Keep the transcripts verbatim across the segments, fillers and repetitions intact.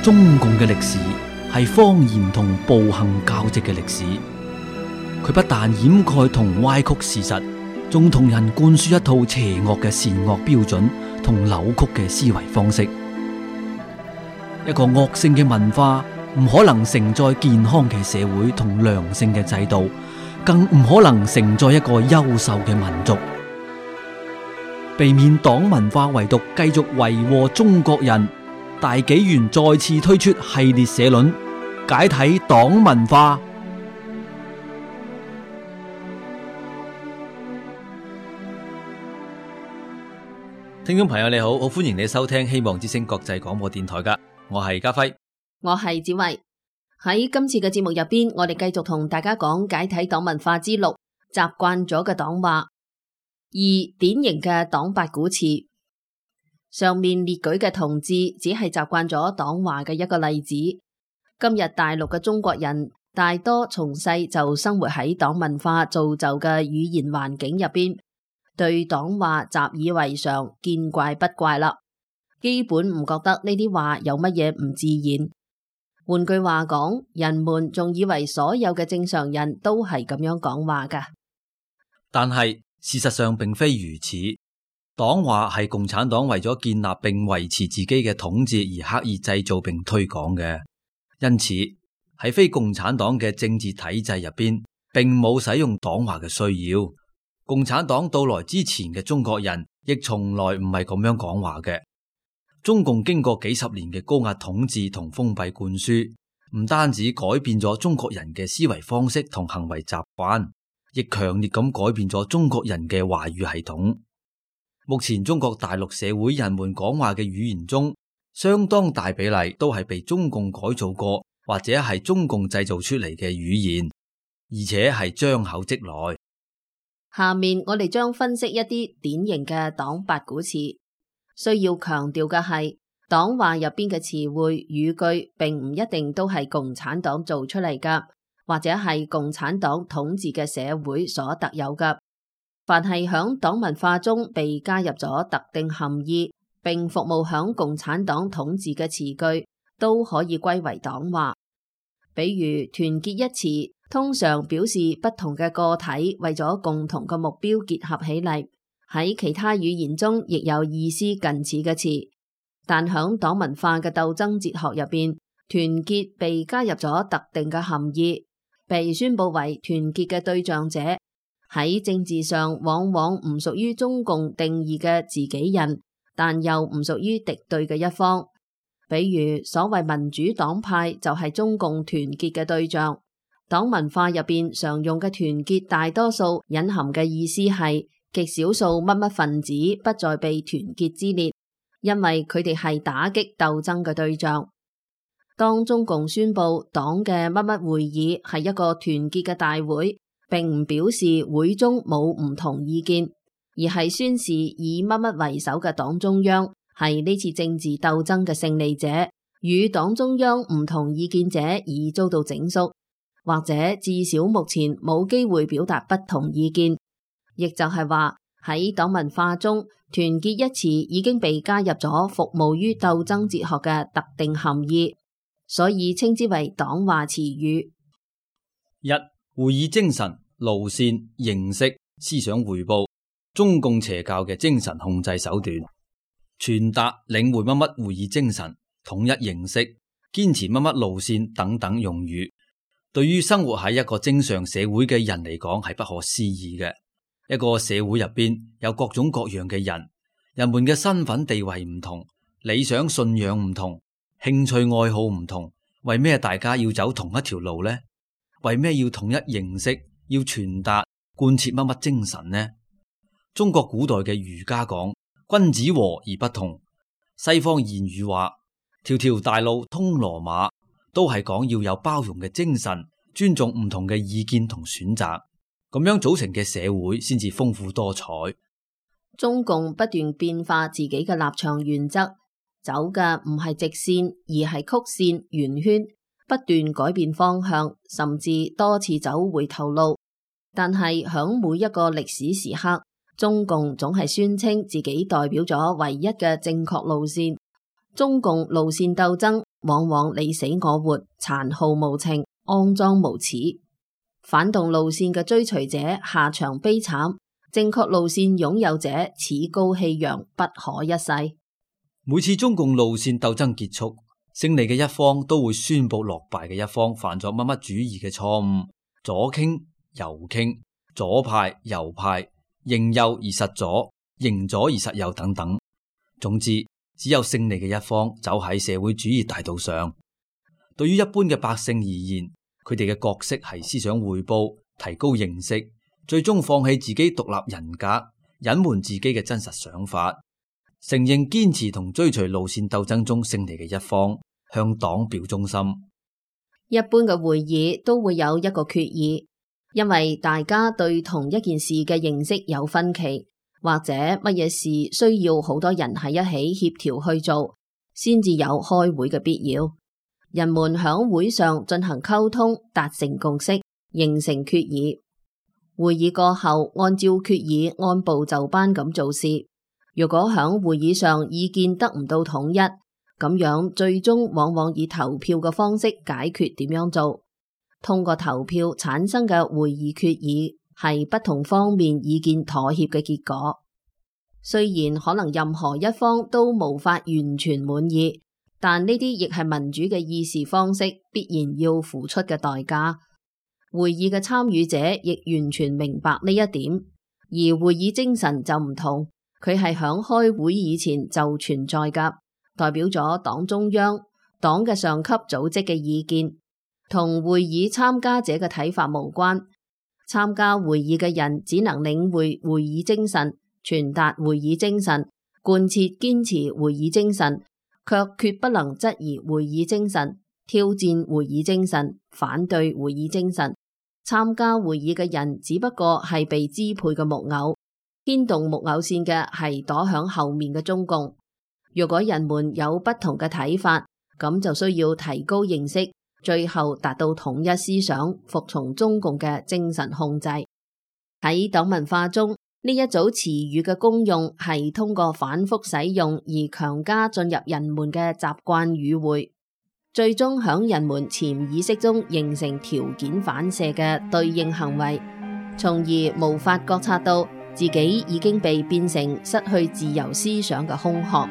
中共嘅歷史係謊言同暴行交織嘅歷史，佢不但掩蓋同歪曲事實，仲同人灌輸一套邪惡嘅善惡標準同扭曲嘅思維方式。一個惡性嘅文化唔可能承載健康嘅社會同良性嘅制度，更唔可能承載一個優秀嘅民族。避免黨文化遺毒繼續為禍中國人，大紀元再次推出系列社論，解體黨文化。聽眾朋友你好，好歡迎你收聽希望之聲國際廣播電台噶，我係家輝，我係子慧。喺今次嘅節目入邊，我哋繼續同大家講解體黨文化之六，習慣咗嘅黨話。二、典型嘅黨八股詞。上面列舉嘅同志只係習慣咗黨話嘅一個例子。今日大陸嘅中國人大多從細就生活喺黨文化造就嘅語言環境入邊，對黨話習以為常，見怪不怪啦，基本唔覺得呢啲話有乜嘢唔自然。換句話講，人們仲以為所有嘅正常人都係咁樣講話噶。但係事實上並非如此，黨話係共產黨為咗建立並維持自己嘅統治而刻意製造並推廣嘅，因此喺非共產黨嘅政治體制入邊，並冇使用黨話嘅需要。共產黨到來之前嘅中國人，亦從來唔係咁樣講話嘅。中共經過幾十年嘅高壓統治同封閉灌輸，唔單止改變咗中國人嘅思維方式同行為習慣，亦強烈咁改變咗中國人嘅話語系統。目前中國大陸社會人們講話嘅語言中，相當大比例都係被中共改造過或者係中共製造出嚟嘅語言，而且係張口即來。下面我哋將分析一啲典型嘅黨八股詞。需要強調嘅係，黨話入邊嘅詞彙語句並唔一定都係共產黨做出嚟噶，或者係共產黨統治嘅社會所特有噶。凡係響黨文化中被加入咗特定含義，並服務響共產黨統治嘅詞句，都可以歸為黨話。比如團結一詞，通常表示不同嘅個體為咗共同嘅目標結合起嚟。喺其他語言中亦有意思近似嘅詞，但響黨文化嘅鬥爭哲學入邊，團結被加入咗特定嘅含義，被宣布為團結嘅對象者，喺政治上往往唔屬於中共定義嘅自己人，但又唔屬於敵對嘅一方。比如所謂民主黨派就係中共團結嘅對象。黨文化入邊常用嘅團結，大多數隱含嘅意思係極少數乜乜分子不再被團結之列，因為佢哋係打擊鬥爭嘅對象。當中共宣布黨嘅乜乜會議係一個團結嘅大會，並唔表示會中冇唔同意見，而係宣示以乜乜為首嘅黨中央係呢次政治鬥爭嘅勝利者，與黨中央唔同意見者已遭到整肅，或者至少目前冇機會表達不同意見。亦就係話喺黨文化中，團結一詞已經被加入咗服務於鬥爭哲學嘅特定含義，所以稱之為黨話詞語。一、會議精神、路線、形式、思想匯報，中共邪教嘅精神控制手段，傳達領會乜乜會議精神、統一形式、堅持乜乜路線等等用語，對於生活喺一個正常社會嘅人嚟講係不可思議嘅。一個社會入邊有各種各樣嘅人，人們嘅身份地位唔同，理想信仰唔同，興趣愛好唔同，為咩大家要走同一條路呢？為咩要統一形式，要傳達貫徹乜乜精神呢？中國古代嘅儒家講君子和而不同，西方諺語話條條大路通羅馬，都係講要有包容嘅精神，尊重唔同嘅意見同選擇。咁樣組成嘅社會先至豐富多彩。中共不斷變化自己嘅立場原則，走嘅唔係直線，而係曲線、圓圈，不斷改變方向，甚至多次走回頭路。但係響每一個歷史時刻，中共總係宣稱自己代表咗唯一嘅正確路線。中共路線鬥爭往往你死我活，殘酷無情，骯髒無恥。反動路線嘅追隨者下場悲慘，正確路線擁有者趾高氣揚，不可一世。每次中共路線鬥爭結束，勝利嘅一方都會宣布落敗嘅一方犯咗乜乜主義嘅錯誤，左傾右傾，左派右派，認右而實左，認左而實右等等。總之，只有勝利嘅一方走喺社會主義大道上。對於一般嘅百姓而言，佢哋嘅角色係思想匯報、提高認識，最終放棄自己獨立人格，隱瞞自己嘅真實想法，承認堅持同追隨路線鬥爭中勝利嘅一方，向黨表忠心。一般嘅會議都會有一個決議，因為大家對同一件事嘅認識有分歧，或者乜嘢事需要好多人喺一起協調去做，先至有開會嘅必要。人們響會上進行溝通，達成共識，形成決議。會議過後，按照決議按部就班咁做事。如果響會議上意見得唔到統一，咁樣最終往往以投票嘅方式解決點樣做。通過投票產生嘅會議決議係不同方面意見妥協嘅結果。雖然可能任何一方都無法完全滿意，但呢啲亦係民主嘅議事方式必然要付出嘅代價。會議嘅參與者亦完全明白呢一點，而會議精神就唔同，佢係響開會以前就存在㗎，代表咗黨中央、黨嘅上級組織嘅意見，同會議參加者嘅睇法無關。參加會議嘅人只能領會會議精神，傳達會議精神，貫徹堅持會議精神，卻決不能質疑會議精神，挑戰會議精神，反對會議精神。參加會議嘅人只不過係被支配嘅木偶，牽動木偶線嘅係躲響後面嘅中共。如果人們有不同嘅睇法，咁就需要提高認識，最後達到統一思想，服從中共嘅精神控制。喺黨文化中，呢一組詞語嘅功用係通過反覆使用而強加進入人們嘅習慣語彙，最終響人們潛意識中形成條件反射嘅對應行為，從而無法覺察到自己已經被變成失去自由思想嘅空殼。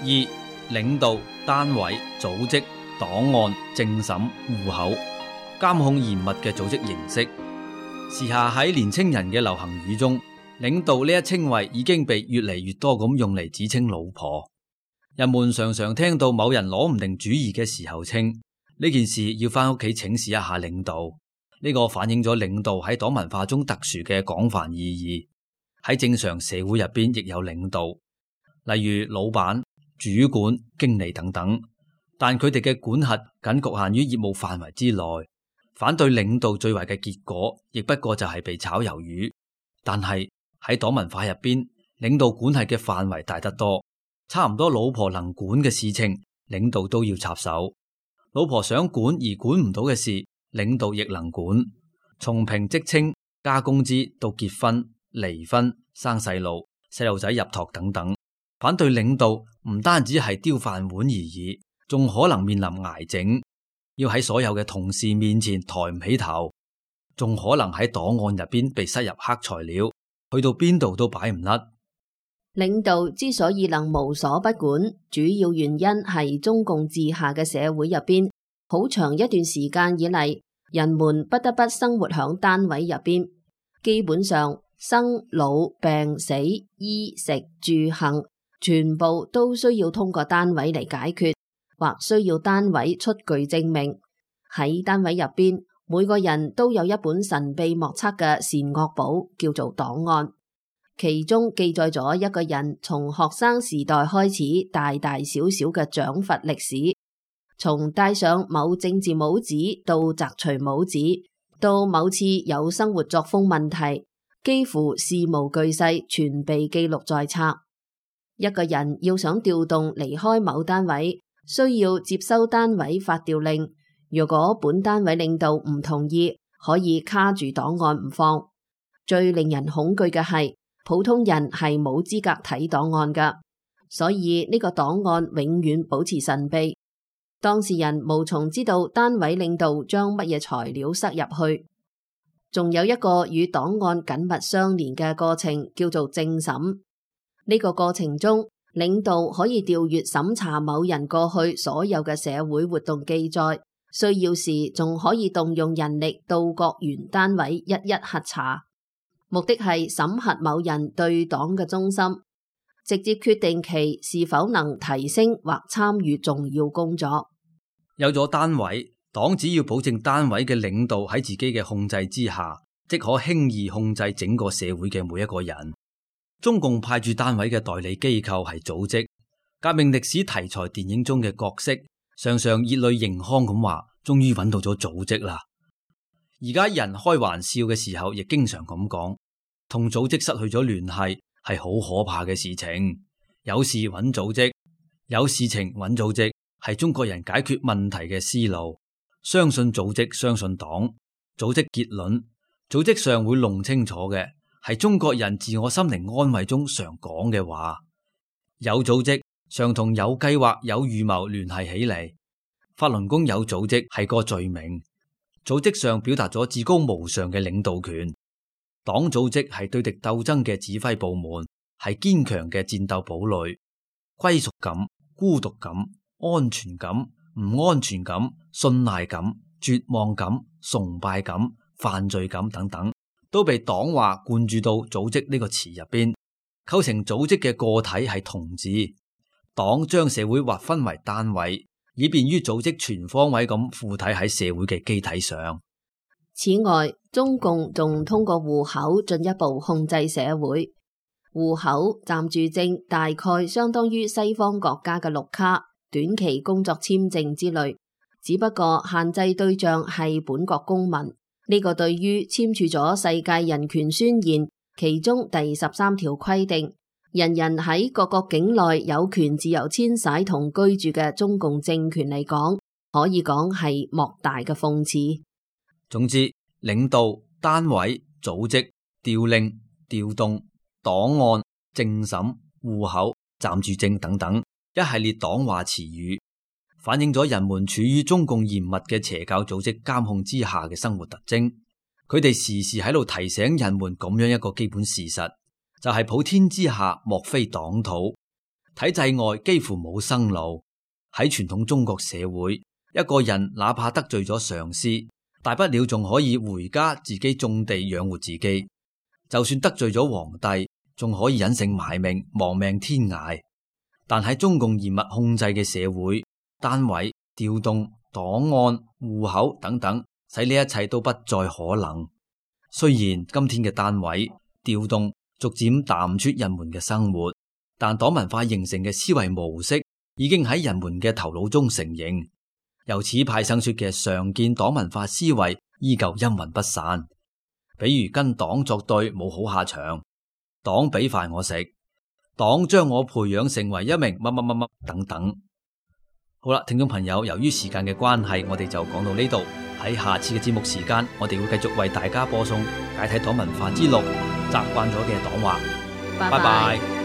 二、領導、單位、組織、檔案、政審、戶口，監控嚴密嘅組織形式。時下喺年青人嘅流行語中，領導呢一稱謂已經被越嚟越多咁用嚟指稱老婆。人們常常聽到某人攞唔定主意嘅時候，稱呢件事要返屋企請示一下領導。呢個反映咗領導喺黨文化中特殊嘅廣泛意義。喺正常社會入邊亦有領導，例如老闆、主管、經理等等，但佢哋嘅管轄僅局限於業務範圍之內。反對領導最壞嘅結果，亦不過就係被炒魷魚。但係喺黨文化入邊，領導管轄嘅範圍大得多，差唔多老婆能管嘅事情，領導都要插手；老婆想管而管唔到嘅事，領導亦能管。從評職稱、加工資到結婚、離婚、生細路、細路仔入托等等。反對領導唔單止係丟飯碗而已，仲可能面臨挨整，要喺所有嘅同事面前抬唔起頭，仲可能喺檔案入邊被塞入黑材料，去到邊度都擺唔甩。領導之所以能無所不管，主要原因係中共治下嘅社會入邊，好長一段時間以嚟，人們不得不生活響單位入邊，基本上生老病死、衣食住行，全部都需要通過單位嚟解決，或需要單位出具證明。喺單位入邊，每個人都有一本神秘莫測嘅善惡簿，叫做檔案，其中記載咗一個人從學生時代開始大大小小嘅獎罰歷史，從戴上某政治帽子到摘除帽子，到某次有生活作風問題，幾乎事無巨細全被記錄在冊。一個人要想調動離開某單位，需要接收單位發調令，如果本單位領導唔同意，可以卡住檔案唔放。最令人恐懼嘅係，普通人係冇資格睇檔案㗎，所以呢個檔案永遠保持神秘。當事人無從知道單位領導將乜嘢材料塞入去。仲有一個與檔案緊密相連嘅過程，叫做政審。呢個過程中，領導可以調閱審查某人過去所有嘅社會活動記載，需要時仲可以動用人力到各原單位一一核查，目的係審核某人對黨嘅忠心，直接決定其是否能提升或參與重要工作。有咗單位，黨只要保證單位嘅領導喺自己嘅控制之下，即可輕易控制整個社會嘅每一個人。中共派駐單位嘅代理機構係組織。革命歷史題材電影中嘅角色常常熱淚盈眶咁話，終於揾到咗組織啦。而家人開玩笑嘅時候，亦經常咁講，同組織失去咗聯繫係好可怕嘅事情。有事揾組織，有事情揾組織，係中國人解決問題嘅思路。相信組織，相信黨。組織結論，組織上會弄清楚嘅，係中國人自我心靈安慰中常講嘅話。有組織常同有計劃、有預謀聯繫起嚟。法輪功有組織係個罪名，組織上表達咗至高無上嘅領導權。黨組織係對敵鬥爭嘅指揮部門，係堅強嘅戰鬥堡壘。歸屬感、孤獨感、安全感、唔安全感、信賴感、絕望感、崇拜感、犯罪感等等，都被黨話灌注到組織呢個詞入邊，構成組織嘅個體係同志。黨將社會劃分為單位，以便於組織全方位咁附體喺社會嘅機體上。此外，中共仲通過戶口進一步控制社會。戶口暫住證大概相當於西方國家嘅綠卡、短期工作簽證之類，只不過限制對象係本國公民。呢個對於簽署咗世界人權宣言其中第十三條規定，人人喺各國境內有權自由遷徙同居住嘅中共政權嚟講，可以講係莫大嘅諷刺。總之，領導、單位、組織、調令、調動、檔案、政審、戶口、暫住證等等一系列黨話詞語，反映咗人們處於中共嚴密嘅邪教組織監控之下嘅生活特徵。佢哋時時喺度提醒人們咁樣一個基本事實，就係、是、普天之下莫非黨土，體制外幾乎冇生路。喺傳統中國社會，一個人哪怕得罪咗上司，大不了仲可以回家自己種地養活自己，就算得罪咗皇帝，仲可以隱姓埋名亡命天涯。但喺中共嚴密控制嘅社會，單位、調動、檔案、戶口等等，使呢一切都不再可能。雖然今天嘅單位、調動逐漸淡出人們嘅生活，但黨文化形成嘅思維模式已經喺人們嘅頭腦中成形。由此派生出嘅常見黨文化思維依舊陰魂不散，比如跟黨作對冇好下場，黨俾飯我食，黨將我培養成為一名乜乜乜乜等等。好啦，聽眾朋友，由於時間嘅關係，我哋就講到呢度。喺下次嘅節目時間，我哋會繼續為大家播送解體黨文化之路，習慣咗嘅黨話。拜拜。